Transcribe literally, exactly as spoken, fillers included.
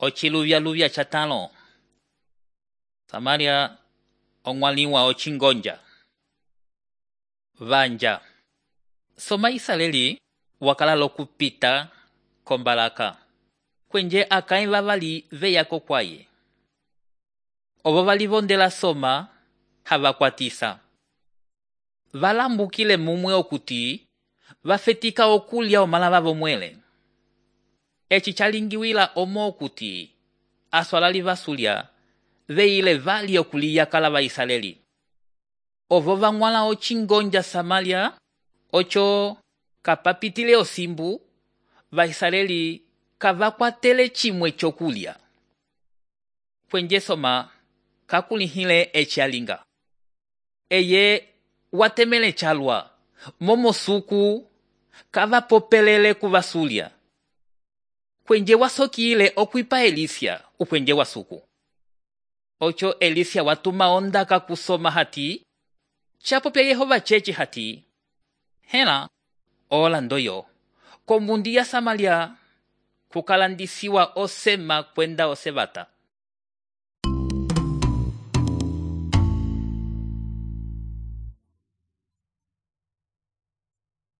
Ochiluvya-luvya chatalo. Samaria ongwaliwa ochingonja. Vanja. Soma Israeli wakala lokupita kombalaka. Kwenje akai vavali veyako kwaye. Ovo valivondela soma havakwatisa. Valambukile mumwe okuti vafetika okulya omalava vomwele. Echi chalingiwila omo okuti aswalali vasulya veile vali okuliya kala va Israeli. Ovo vangwala ochingonja Samaria ocho kapapitile osimbu va Israeli kavakwatele chimwe chokulya. Kwenje soma kakulihile echi alinga. Eye watemele chalwa momo suku kavapopelele kuvasulya. Kwenje wasokile okwipa Elisia ukwenje wasuku. Ocho Elisia watuma ondaka kusoma hati. Chapopya Yehova chechi hati. Hela ola ndoyo. Kombundi ya Samaria kukalandisiwa osema kwenda osevata.